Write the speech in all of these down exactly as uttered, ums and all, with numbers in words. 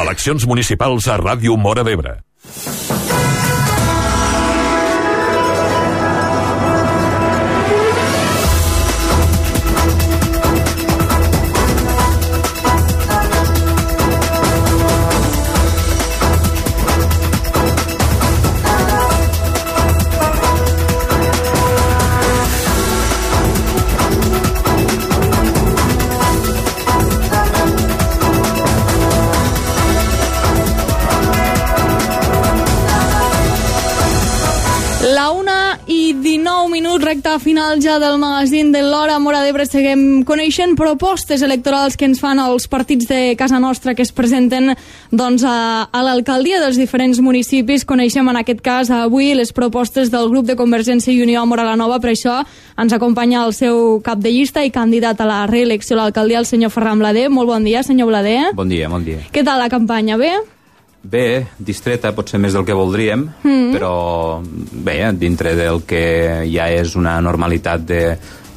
Eleccions municipals a Ràdio Móra d'Ebre. Recte final ja del magazín de l'Hora Móra d'Ebre. Seguim coneixent propostes electorals que ens fan els partits de casa nostra que es presenten doncs, a, a l'alcaldia dels diferents municipis. Coneixem en aquest cas avui les propostes del grup de Convergència i Unió a Móra la Nova. Per això ens acompanya el seu cap de llista i candidat a la reelecció a l'alcaldia, el senyor Ferran Blader. Molt bon dia, senyor Blader. Bon dia, bon dia. Què tal la campanya? Bé? Bé, distreta, potser més del que voldríem, mm. però bé, dintre del que ja és una normalitat de,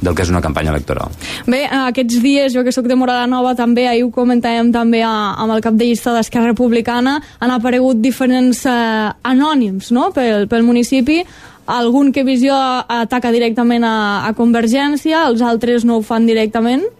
del que és una campanya electoral. Bé, aquests dies, jo que sóc de Móra la Nova també, ahir ho comentàvem també a, amb el cap de llista d'Esquerra Republicana, han aparegut diferents eh, anònims, no?, pel, pel municipi. Algun que Visió ataca directament a, a Convergència, els altres no ho fan directament.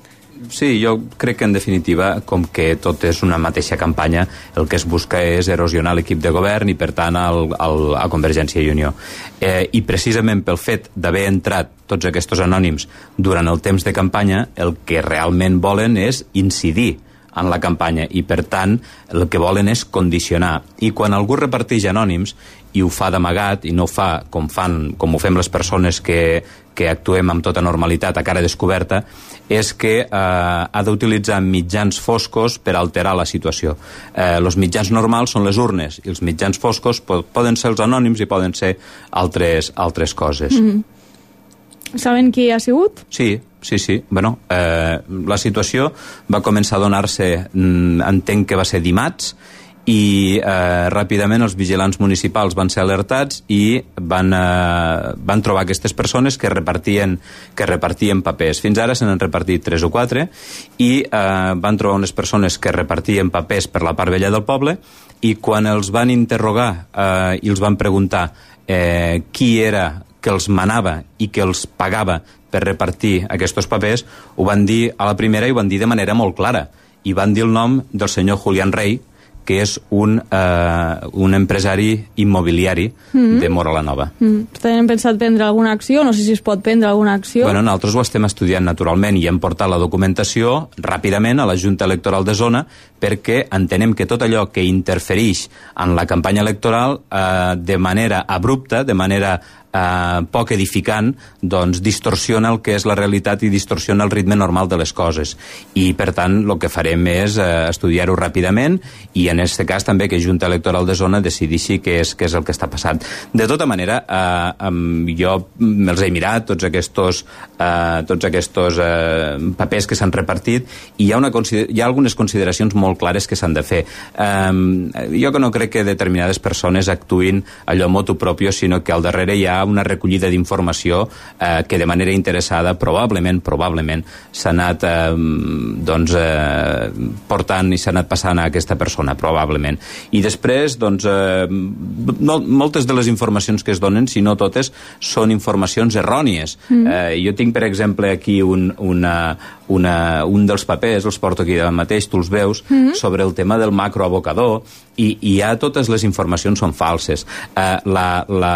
Sí, jo crec que en definitiva, com que tot és una mateixa campanya, el que es busca és erosionar l'equip de govern i per tant al, al, a Convergència i Unió. Eh, I precisament pel fet d'haver entrat tots aquests anònims durant el temps de campanya, el que realment volen és incidir en la campanya i per tant el que volen és condicionar. I quan algú reparteix anònims i ho fa d'amagat i no ho fa com, fan, com ho fem les persones que, que actuem amb tota normalitat a cara descoberta, és que eh, ha d'utilitzar mitjans foscos per alterar la situació. Eh, els mitjans normals són les urnes i els mitjans foscos po poden ser els anònims i poden ser altres, altres coses. Mm-hmm. Saben qui ha sigut? Sí, sí, sí. Bueno, eh, la situació va començar a donar-se, entenc que va ser dimarts, i eh, ràpidament els vigilants municipals van ser alertats i van, eh, van trobar aquestes persones que repartien, que repartien papers. Fins ara se n'han repartit tres o quatre i eh, van trobar unes persones que repartien papers per la part vella del poble i quan els van interrogar eh, i els van preguntar eh, qui era que els manava i que els pagava per repartir aquests papers, ho van dir a la primera i ho van dir de manera molt clara. I van dir el nom del senyor Julián Rey, que és un, eh, un empresari immobiliari mm-hmm. de Móra la Nova. Mm. Tenen pensat prendre alguna acció? No sé si es pot prendre alguna acció. Bueno, nosaltres ho estem estudiant naturalment i hem portat la documentació ràpidament a la Junta Electoral de Zona perquè entenem que tot allò que interfereix en la campanya electoral eh, de manera abrupta, de manera eh, poc edificant, doncs distorsiona el que és la realitat i distorsiona el ritme normal de les coses. I, per tant, el que farem és eh, estudiar-ho ràpidament i, en aquest cas, també que Junta Electoral de Zona decideixi què és, què és el que està passant. De tota manera, eh, jo me'ls he mirat, tots aquests, eh, tots aquests eh, papers que s'han repartit, i hi ha, una, hi ha algunes consideracions molt clares que s'han de fer. Eh, jo que no crec que determinades persones actuïn allò motu propio, sinó que al darrere hi ha una recollida d'informació eh, que de manera interessada probablement, probablement s'ha anat eh, doncs, eh, portant i s'ha anat passant a aquesta persona, probablement. I després, doncs, eh, no, moltes de les informacions que es donen, si no totes, són informacions errònies. Mm. Eh, jo tinc, per exemple, aquí un, una, una, un dels papers, els porto aquí davant mateix, tu els veus, mm. sobre el tema del macroabocador, i, i ja totes les informacions són falses. Eh, la, la,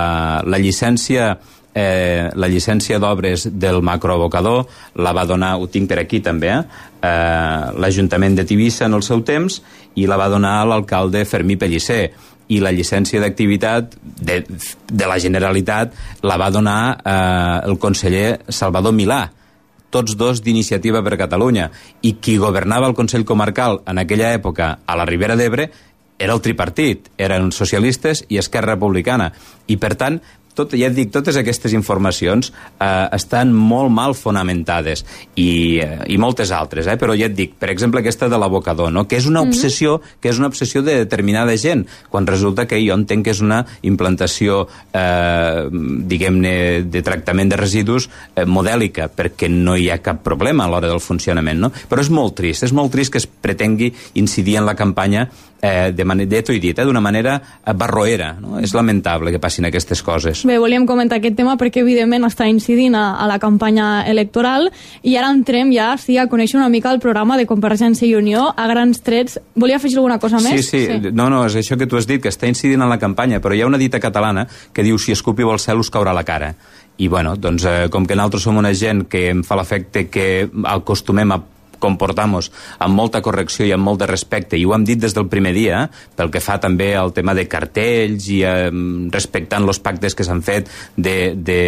la llicència Eh, la llicència d'obres del macroabocador la va donar, ho tinc per aquí també, eh, eh, l'Ajuntament de Tivissa en el seu temps, i la va donar l'alcalde Fermí Pellicer, i la llicència d'activitat de, de la Generalitat la va donar eh, el conseller Salvador Milà, tots dos d'Iniciativa per Catalunya, i qui governava el Consell Comarcal en aquella època a la Ribera d'Ebre era el tripartit, eren socialistes i Esquerra Republicana, i per tant tot, ja et dic, totes aquestes informacions eh, estan molt mal fonamentades i, eh, i moltes altres, eh? Però ja et dic, per exemple aquesta de l'abocador, no? Que és una obsessió, mm-hmm. que és una obsessió de determinada gent, quan resulta que jo entenc que és una implantació eh, diguem-ne de tractament de residus eh, modèlica, perquè no hi ha cap problema a l'hora del funcionament, no? Però és molt trist, és molt trist que es pretengui incidir en la campanya eh, de manera, t'ho he dit, eh, d'una manera barroera, no? És lamentable que passin aquestes coses. Bé, volíem comentar aquest tema perquè evidentment està incidint a, a la campanya electoral i ara entrem ja sí, a conèixer una mica el programa de Convergència i Unió a grans trets. Volia afegir alguna cosa més? Sí, sí, sí. No, no, és això que tu has dit, que està incidint en la campanya, però hi ha una dita catalana que diu si escupiu al cel us caurà la cara. I bueno, doncs eh, com que nosaltres som una gent que em fa l'efecte que acostumem a comportar-nos amb molta correcció i amb molt de respecte, i ho hem dit des del primer dia, pel que fa també al tema de cartells i eh, respectant els pactes que s'han fet de, de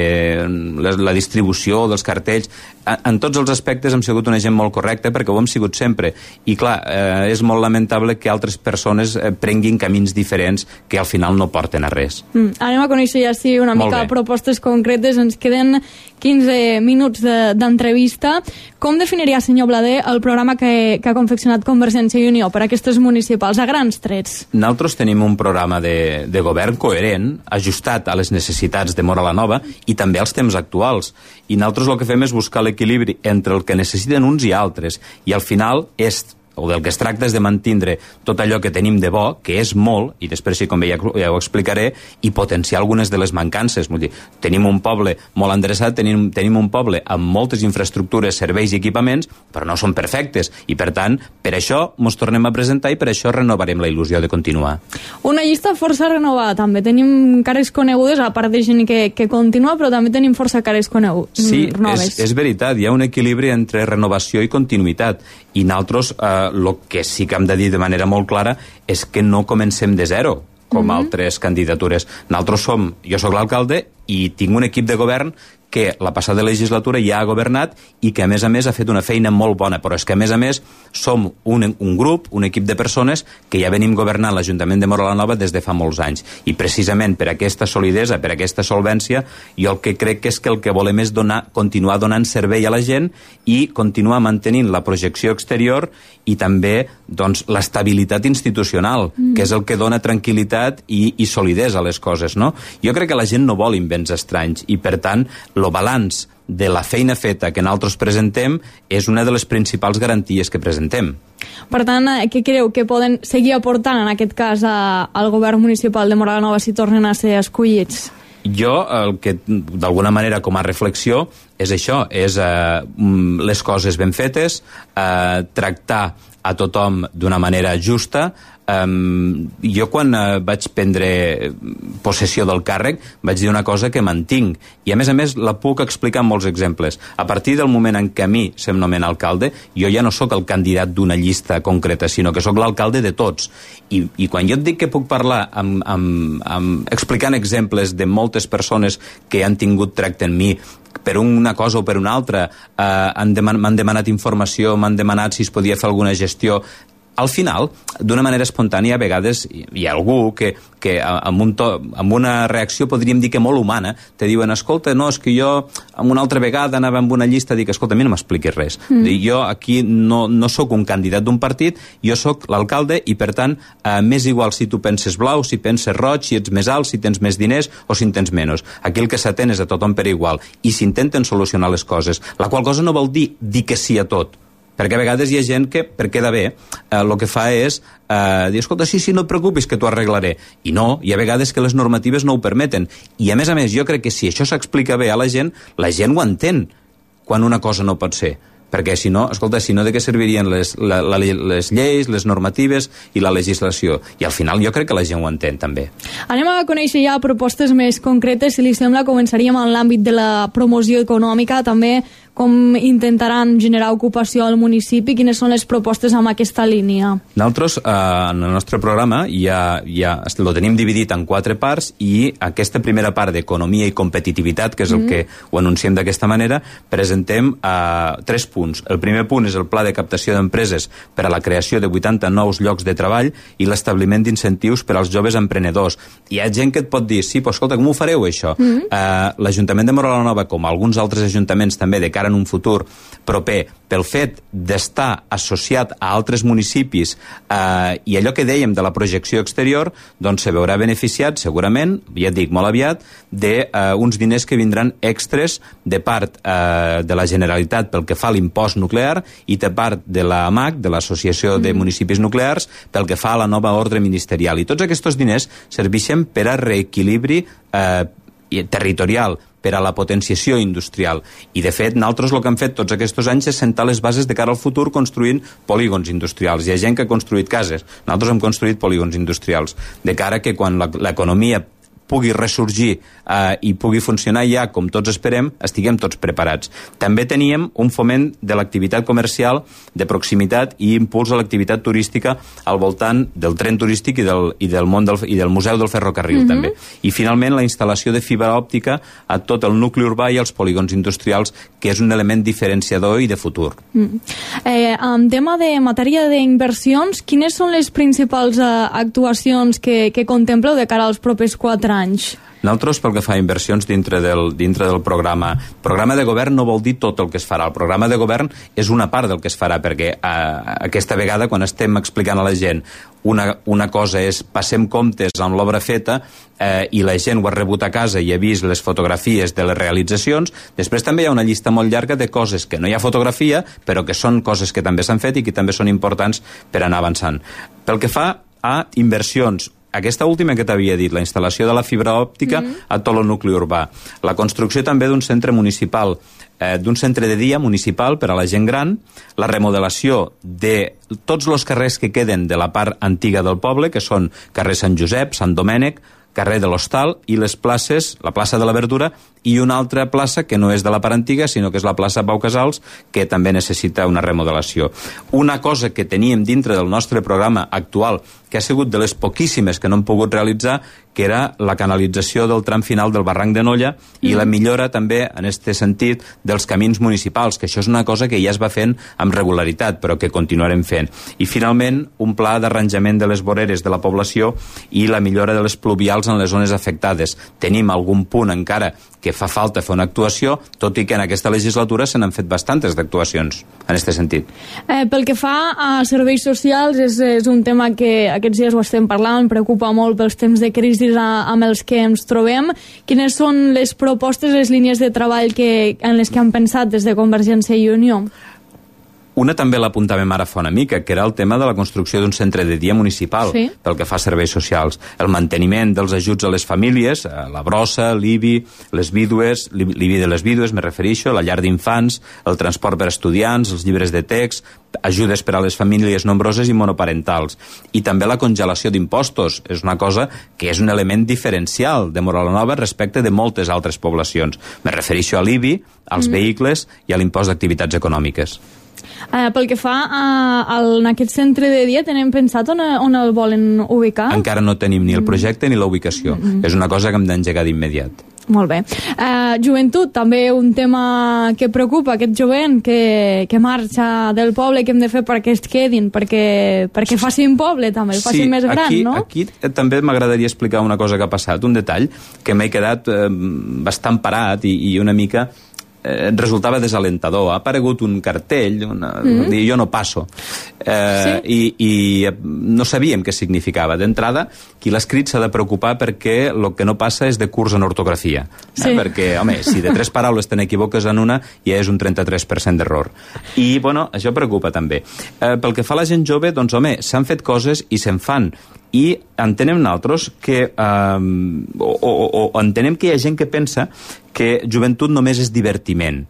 la, la distribució dels cartells, en, en tots els aspectes hem sigut una gent molt correcta perquè ho hem sigut sempre, i clar, eh, és molt lamentable que altres persones eh, prenguin camins diferents que al final no porten a res. Mm, anem a conèixer ja sí una molt mica bé. Propostes concretes, ens queden quinze minuts d'entrevista. De, Com definiria, senyor Blader, el programa que, que ha confeccionat Convergència i Unió per a aquestes municipals, a grans trets? Nosaltres tenim un programa de, de govern coherent, ajustat a les necessitats de Móra la Nova i també als temps actuals. I nosaltres el que fem és buscar l'equilibri entre el que necessiten uns i altres. I al final és o del que es tracta és de mantindre tot allò que tenim de bo, que és molt, i després, sí, com ja, ja ho explicaré, i potenciar algunes de les mancances. Vull dir, tenim un poble molt endreçat, tenim, tenim un poble amb moltes infraestructures, serveis i equipaments, però no són perfectes, i per tant, per això ens tornem a presentar i per això renovarem la il·lusió de continuar. Una llista força renovada, també. Tenim cares conegudes, a part de gent que, que continua, però també tenim força cares conegudes, sí, noves. Sí, és, és veritat, hi ha un equilibri entre renovació i continuïtat, i nosaltres el eh, que sí que hem de dir de manera molt clara és que no comencem de zero, com mm-hmm. altres candidatures. Nosaltres som, jo sóc l'alcalde i tinc un equip de govern que la passada legislatura ja ha governat i que a més a més ha fet una feina molt bona, però és que a més a més som un, un grup, un equip de persones que ja venim governant l'Ajuntament de Móra la Nova des de fa molts anys, i precisament per aquesta solidesa, per aquesta solvència, jo el que crec que és que el que volem és donar, continuar donant servei a la gent i continuar mantenint la projecció exterior i també doncs, l'estabilitat institucional, mm. que és el que dona tranquil·litat i, i solidesa a les coses, no? Jo crec que la gent no vol invents estranys i per tant el balanç de la feina feta que nosaltres presentem és una de les principals garanties que presentem. Per tant, què creu que poden seguir aportant en aquest cas a, al govern municipal de Móra la Nova si tornen a ser escollits? Jo, el que d'alguna manera com a reflexió és això, és eh, les coses ben fetes, eh, tractar a tothom d'una manera justa. Um, jo quan uh, vaig prendre possessió del càrrec vaig dir una cosa que mantinc i a més a més la puc explicar amb molts exemples. A partir del moment en què a mi se'm nomena alcalde, jo ja no sóc el candidat d'una llista concreta, sinó que sóc l'alcalde de tots, i, i quan jo et dic que puc parlar amb, amb, amb, explicant exemples de moltes persones que han tingut tracte en mi per una cosa o per una altra, eh, han deman- m'han demanat informació, m'han demanat si es podia fer alguna gestió. Al final, d'una manera espontània, a vegades hi ha algú que, que amb, un to, amb una reacció, podríem dir que molt humana, te diuen, escolta, no, és que jo amb una altra vegada anava amb una llista, dic, escolta, a mi no m'expliquis res. Mm. Jo aquí no, no sóc un candidat d'un partit, jo sóc l'alcalde i, per tant, eh, m'és igual si tu penses blau, si penses roig, si ets més alt, si tens més diners o si en tens menys. Aquí el que s'atén és a tothom per igual i s'intenten solucionar les coses, la qual cosa no vol dir dir que sí a tot, perquè a vegades hi ha gent que, per quedar bé, eh, el que fa és eh, dir, escolta, sí, sí, no et preocupis que t'ho arreglaré. I no, hi ha vegades que les normatives no ho permeten. I a més a més, jo crec que si això s'explica bé a la gent, la gent ho entén quan una cosa no pot ser. Perquè si no, escolta, si no de què servirien les, la, la, les lleis, les normatives i la legislació? I al final jo crec que la gent ho entén també. Anem a conèixer ja propostes més concretes. Si li sembla, començaríem en l'àmbit de la promoció econòmica, també com intentaran generar ocupació al municipi, quines són les propostes amb aquesta línia? Nosaltres, eh, en el nostre programa, ja, ja lo tenim dividit en quatre parts i aquesta primera part d'economia i competitivitat, que és el mm. que ho anunciem d'aquesta manera, presentem eh, tres punts. El primer punt és el pla de captació d'empreses per a la creació de vuitanta nous llocs de treball i l'establiment d'incentius per als joves emprenedors. Hi ha gent que et pot dir, sí, però escolta, com ho fareu això? Mm. Eh, L'Ajuntament de Móra la Nova, com alguns altres ajuntaments també de cara cara en un futur proper, pel fet d'estar associat a altres municipis eh, i allò que dèiem de la projecció exterior, doncs se veurà beneficiat segurament, ja et dic, molt aviat, d'uns eh, diners que vindran extres de part eh, de la Generalitat pel que fa a l'impost nuclear i de part de la A M A C, de l'Associació de Municipis Nuclears, pel que fa a la nova ordre ministerial. I tots aquests diners serveixen per a reequilibri eh, territorial, per a la potenciació industrial. I, de fet, nosaltres el que hem fet tots aquests anys és sentar les bases de cara al futur construint polígons industrials. Hi ha gent que ha construït cases. Nosaltres hem construït polígons industrials. De cara que quan l'economia pugui ressorgir eh, i pugui funcionar ja com tots esperem, estiguem tots preparats. També teníem un foment de l'activitat comercial de proximitat i impuls a l'activitat turística al voltant del tren turístic i del, i del, món del, i del Museu del Ferrocarril, mm-hmm. també. I, finalment, la instal·lació de fibra òptica a tot el nucli urbà i als polígons industrials, que és un element diferenciador i de futur. Mm. Eh, en tema de matèria d'inversions, quines són les principals eh, actuacions que, que contempleu de cara als propers quatre anys? Nosaltres, pel que fa a inversions dintre del, dintre del programa, programa de govern no vol dir tot el que es farà. El programa de govern és una part del que es farà, perquè eh, aquesta vegada, quan estem explicant a la gent una, una cosa és passem comptes amb l'obra feta eh, i la gent ho ha rebut a casa i ha vist les fotografies de les realitzacions, després també hi ha una llista molt llarga de coses que no hi ha fotografia, però que són coses que també s'han fet i que també són importants per anar avançant. Pel que fa a inversions, aquesta última que t'havia dit, la instal·lació de la fibra òptica mm-hmm. a tot el nucli urbà. La construcció també d'un centre municipal, eh, d'un centre de dia municipal per a la gent gran, la remodelació de tots els carrers que queden de la part antiga del poble, que són carrer Sant Josep, Sant Domènec, carrer de l'Hostal i les places, la plaça de la Verdura i una altra plaça que no és de la part antiga, sinó que és la plaça Pau Casals, que també necessita una remodelació. Una cosa que teníem dintre del nostre programa actual, que ha sigut de les poquíssimes que no hem pogut realitzar, que era la canalització del tram final del barranc de Nolla i mm. la millora també, en aquest sentit, dels camins municipals, que això és una cosa que ja es va fent amb regularitat, però que continuarem fent. I, finalment, un pla d'arranjament de les voreres de la població i la millora de les pluvials en les zones afectades. Tenim algun punt encara que fa falta fer una actuació, tot i que en aquesta legislatura se n'han fet bastantes d'actuacions en aquest sentit. Eh, pel que fa a serveis socials, és, és un tema que aquests dies ho estem parlant, preocupa molt pels temps de crisi amb els que ens trobem. Quines són les propostes, les línies de treball que, en les que han pensat des de Convergència i Unió? Una també l'apuntàvem ara fa una mica, que era el tema de la construcció d'un centre de dia municipal, sí. pel que fa a serveis socials. El manteniment dels ajuts a les famílies, a la brossa, l'I B I, les vídues, l'I B I de les vídues, me refereixo, la llar d'infants, el transport per a estudiants, els llibres de text, ajudes per a les famílies nombroses i monoparentals. I també la congelació d'impostos. És una cosa que és un element diferencial de Móra la Nova respecte de moltes altres poblacions. Me refereixo a l'I B I, als mm. vehicles i a l'impost d'activitats econòmiques. Uh, pel que fa a, a, en aquest centre de dia, tenen pensat on, on el volen ubicar? Encara no tenim ni el projecte ni la ubicació. Mm-hmm. És una cosa que hem d'engegar d'immediat. Molt bé. Uh, joventut, també un tema que preocupa, aquest jovent que, que marxa del poble, que hem de fer perquè es quedin, perquè, perquè facin poble també, el sí, facin més gran, aquí, no? Aquí també m'agradaria explicar una cosa que ha passat, un detall que m'he quedat eh, bastant parat i, i una mica eh, resultava desalentador. Ha aparegut un cartell, una, mm-hmm. dir, jo no passo, eh, sí? i, i no sabíem què significava. D'entrada, qui l'ha escrit s'ha de preocupar perquè el que no passa és de curs en ortografia. Sí. Eh? Perquè, home, si de tres paraules te n'equivoques en una, ja és un trenta-tres per cent d'error. I, bueno, això preocupa també. Eh, pel que fa a la gent jove, doncs, home, s'han fet coses i se'n fan. I entenem nosaltres que eh, o, o, o entenem que hi ha gent que pensa que joventut només és divertiment.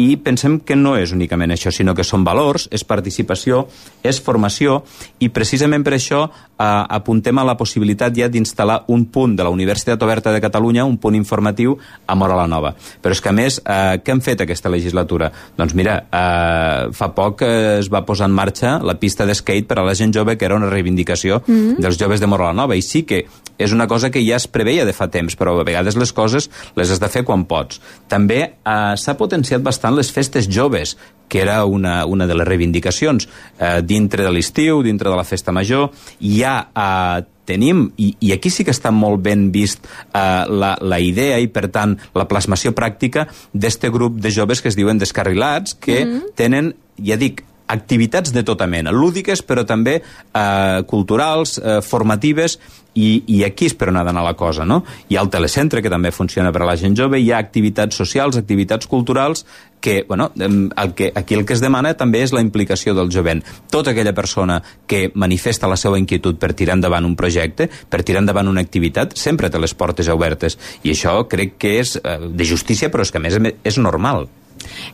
I pensem que no és únicament això, sinó que són valors, és participació, és formació, i precisament per això eh, apuntem a la possibilitat ja d'instal·lar un punt de la Universitat Oberta de Catalunya, un punt informatiu a Móra la Nova. Però és que, a més, eh, què hem fet aquesta legislatura? Doncs mira, eh, fa poc eh, es va posar en marxa la pista d'skate per a la gent jove, que era una reivindicació mm-hmm. dels joves de Móra la Nova, i sí que és una cosa que ja es preveia de fa temps, però a vegades les coses les has de fer quan pots. També eh, s'ha potenciat bastant les festes joves, que era una, una de les reivindicacions. Eh, dintre de l'estiu, dintre de la festa major, hi ha eh, tenim, i, i aquí sí que està molt ben vist eh, la, la idea i, per tant, la plasmació pràctica d'este grup de joves que es diuen descarrilats, que mm-hmm. tenen, ja dic, activitats de tota mena, lúdiques, però també eh, culturals, eh, formatives, i, i aquí és per on ha d'anar la cosa, no? Hi ha el telecentre, que també funciona per a la gent jove, hi ha activitats socials, activitats culturals, que, bueno, el que, aquí el que es demana també és la implicació del jovent. Tota aquella persona que manifesta la seva inquietud per tirar endavant un projecte, per tirar endavant una activitat, sempre té les portes obertes. I això crec que és eh, de justícia, però és que a més és normal.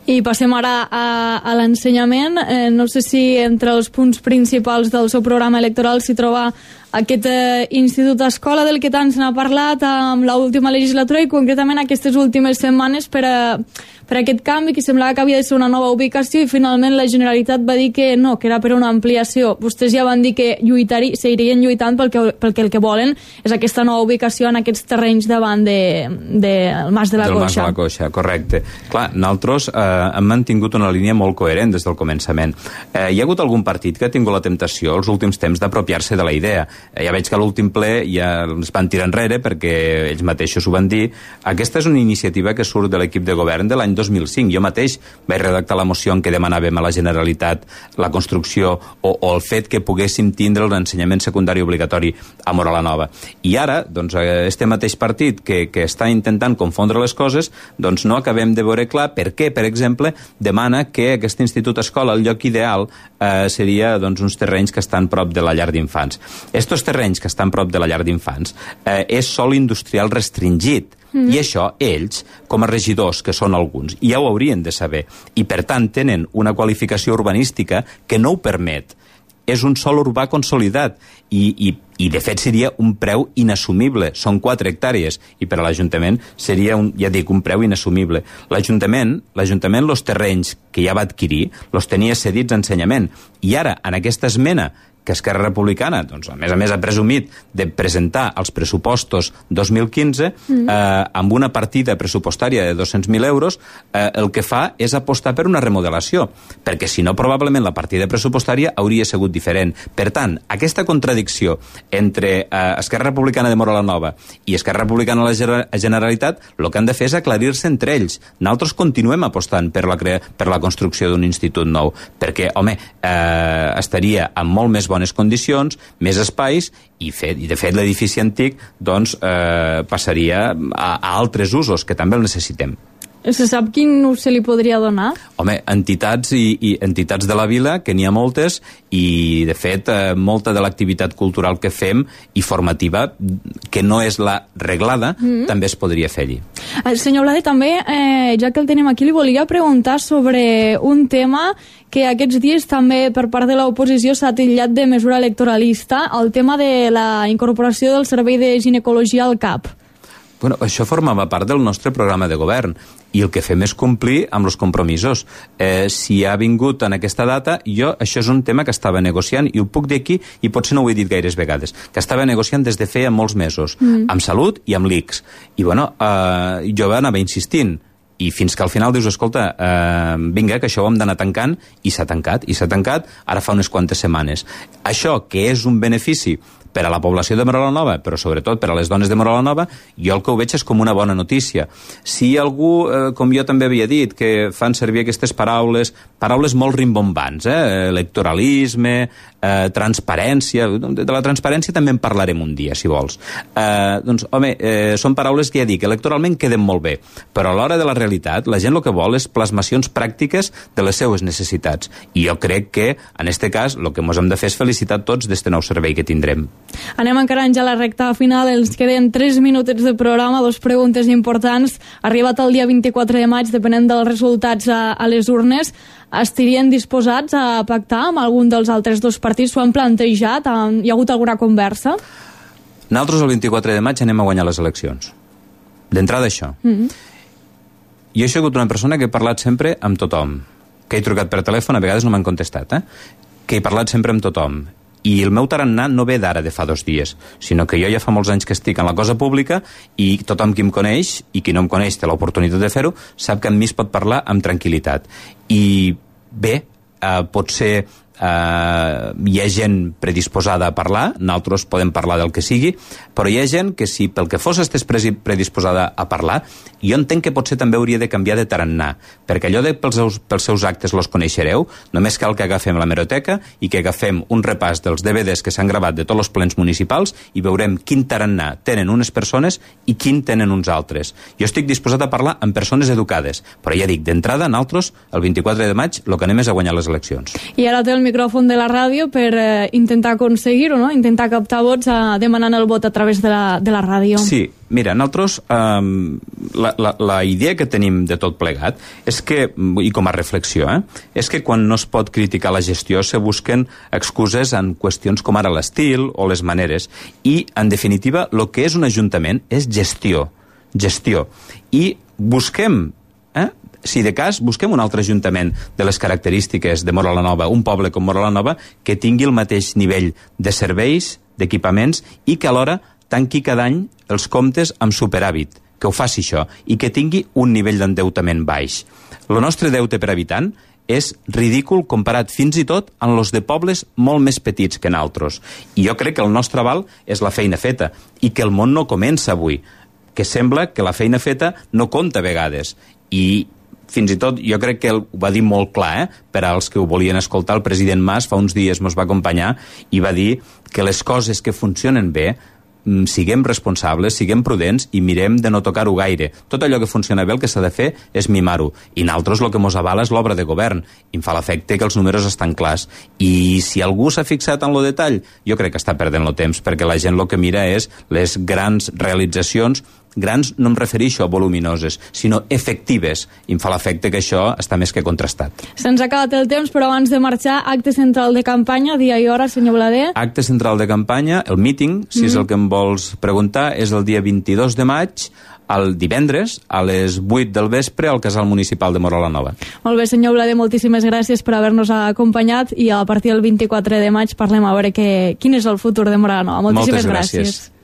I passem ara a, a l'ensenyament. Eh, no sé si entre els punts principals del seu programa electoral s'hi troba aquest eh, Institut Escola del que tant se n'ha parlat amb l'última legislatura i concretament aquestes últimes setmanes per, a, per a aquest canvi que semblava que havia de ser una nova ubicació i finalment la Generalitat va dir que no, que era per una ampliació. Vostès ja van dir que lluitari, seguirien lluitant pel que, pel que el que volen és aquesta nova ubicació en aquests terrenys davant de, de el Mas de la del Coixa. Mas de la Coixa, correcte. Clar, nosaltres eh, hem mantingut una línia molt coherent des del començament. Eh, hi ha hagut algun partit que ha tingut la temptació els últims temps d'apropiar-se de la idea. Ja veig que a l'últim ple ja ens van tirar enrere perquè ells mateixos ho van dir. Aquesta és una iniciativa que surt de l'equip de govern de l'any dos mil cinc. Jo mateix vaig redactar la moció en què demanàvem a la Generalitat la construcció o, o el fet que poguéssim tindre l'ensenyament secundari obligatori a Móra la Nova. I ara, doncs, este mateix partit que, que està intentant confondre les coses, doncs no acabem de veure clar per què, per exemple, demana que aquest institut escola, el lloc ideal, eh, seria doncs, uns terrenys que estan prop de la llar d'infants. Estos terrenys que estan prop de la llar d'infants eh, és sòl industrial restringit. Mm. I això, ells, com a regidors, que són alguns, ja ho haurien de saber. I, per tant, tenen una qualificació urbanística que no ho permet. És un sòl urbà consolidat i, i, i de fet, seria un preu inassumible. Són quatre hectàrees i per a l'Ajuntament seria, un, ja dic, un preu inassumible. L'Ajuntament, l'Ajuntament, els terrenys que ja va adquirir, els tenia cedits a ensenyament. I ara, en aquesta esmena que Esquerra Republicana, doncs, a més a més, ha presumit de presentar els pressupostos dos mil quinze mm. eh, amb una partida pressupostària de dos-cents mil euros, eh, el que fa és apostar per una remodelació, perquè si no, probablement la partida pressupostària hauria sigut diferent. Per tant, aquesta contradicció entre eh, Esquerra Republicana de Móra la Nova i Esquerra Republicana de la Generalitat, el que han de fer és aclarir-se entre ells. Nosaltres continuem apostant per la, crea per la construcció d'un institut nou, perquè, home, eh, estaria amb molt més bones condicions, més espais i, fet, i de fet l'edifici antic doncs, eh, passaria a, a altres usos que també el necessitem. Se sap quin ús se li podria donar? Home, entitats i, i entitats de la vila, que n'hi ha moltes, i de fet eh, molta de l'activitat cultural que fem i formativa, que no és la reglada, mm. també es podria fer allí. Senyor Blade, també, eh, ja que el tenim aquí, li volia preguntar sobre un tema que aquests dies també per part de l'oposició s'ha titllat de mesura electoralista, el tema de la incorporació del servei de ginecologia al C A P. Bueno, això formava part del nostre programa de govern i el que fem és complir amb els compromisos. Eh, si ha vingut en aquesta data, jo, això és un tema que estava negociant i ho puc dir aquí, i potser no ho he dit gaires vegades, que estava negociant des de feia molts mesos, mm. amb Salut i amb l'I C S. I bueno, eh, jo anava insistint, i fins que al final dius, escolta, eh, vinga, que això ho hem d'anar tancant, i s'ha tancat, i s'ha tancat ara fa unes quantes setmanes. Això, que és un benefici per a la població de Móra la Nova, però sobretot per a les dones de Móra la Nova, jo el que ho veig és com una bona notícia. Si algú, eh, com jo també havia dit, que fan servir aquestes paraules, paraules molt rimbombants, eh? electoralisme, eh, transparència, de la transparència també en parlarem un dia, si vols. Eh, doncs, home, eh, són paraules que ja dic, electoralment queden molt bé, però a l'hora de la realitat, la gent el que vol és plasmacions pràctiques de les seues necessitats. I jo crec que, en este cas, el que ens hem de fer és felicitar tots d'este nou servei que tindrem. Anem encarant ja la recta final, ens queden tres minutets de programa, dos preguntes importants. Arribat el dia vint-i-quatre de maig, depenent dels resultats a, a les urnes, estarien disposats a pactar amb algun dels altres dos partits? S'ho han plantejat? Hi ha hagut alguna conversa? Nosaltres el vint-i-quatre de maig anem a guanyar les eleccions. D'entrada això. Mm-hmm. Jo he sigut una persona que he parlat sempre amb tothom, que he trucat per telèfon, a vegades no m'han contestat, eh? que he parlat sempre amb tothom. I el meu tarannà no ve d'ara de fa dos dies, sinó que jo ja fa molts anys que estic en la cosa pública i tothom qui em coneix, i qui no em coneix té l'oportunitat de fer-ho, sap que amb mi es pot parlar amb tranquil·litat. I bé, eh, potser Uh, hi ha gent predisposada a parlar, nosaltres podem parlar del que sigui, però hi ha gent que si pel que fos estés predisposada a parlar, jo entenc que potser també hauria de canviar de tarannà, perquè allò de pels seus, pels seus actes los coneixereu, només cal que agafem la hemeroteca i que agafem un repàs dels D V Ds que s'han gravat de tots els plens municipals i veurem quin tarannà tenen unes persones i quin tenen uns altres. Jo estic disposat a parlar amb persones educades, però ja dic, d'entrada, nosaltres, el vint-i-quatre de maig, el que anem és a guanyar les eleccions. I ara té el micròfon de la ràdio per eh, intentar aconseguir-ho, no? Intentar captar vots eh, demanant el vot a través de la, de la ràdio. Sí, mira, nosaltres eh, la, la, la idea que tenim de tot plegat és que, i com a reflexió, eh, és que quan no es pot criticar la gestió se busquen excuses en qüestions com ara l'estil o les maneres, i en definitiva el que és un ajuntament és gestió, gestió, i busquem, eh, si de cas, busquem un altre ajuntament de les característiques de Móra la Nova, un poble com Móra la Nova, que tingui el mateix nivell de serveis, d'equipaments, i que alhora tanqui cada any els comptes amb superàvit, que ho faci això, i que tingui un nivell d'endeutament baix. El nostre deute per habitant és ridícul comparat fins i tot amb els de pobles molt més petits que nosaltres. I jo crec que el nostre aval és la feina feta, i que el món no comença avui, que sembla que la feina feta no compta a vegades. I fins i tot, jo crec que ho va dir molt clar, eh? Per als que ho volien escoltar, el president Mas fa uns dies ens va acompanyar i va dir que les coses que funcionen bé, siguem responsables, siguem prudents i mirem de no tocar-ho gaire. Tot allò que funciona bé el que s'ha de fer és mimar-ho. I nosaltres el que mos avala és l'obra de govern. I em fa l'efecte que els números estan clars. I si algú s'ha fixat en lo detall, jo crec que està perdent el temps, perquè la gent el que mira és les grans realitzacions. Grans no em refereixo a voluminoses, sinó efectives. I em fa l'efecte que això està més que contrastat. Se'ns ha acabat el temps, però abans de marxar, acte central de campanya, dia i hora, senyor Blader. Acte central de campanya, el míting, si mm. és el que em vols preguntar, és el dia vint-i-dos de maig, el divendres, a les vuit del vespre, al Casal Municipal de Móra la Nova. Molt bé, senyor Blader, moltíssimes gràcies per haver-nos acompanyat i a partir del vint-i-quatre de maig parlem a veure que, quin és el futur de Móra la Nova. Moltíssimes Moltes gràcies. gràcies.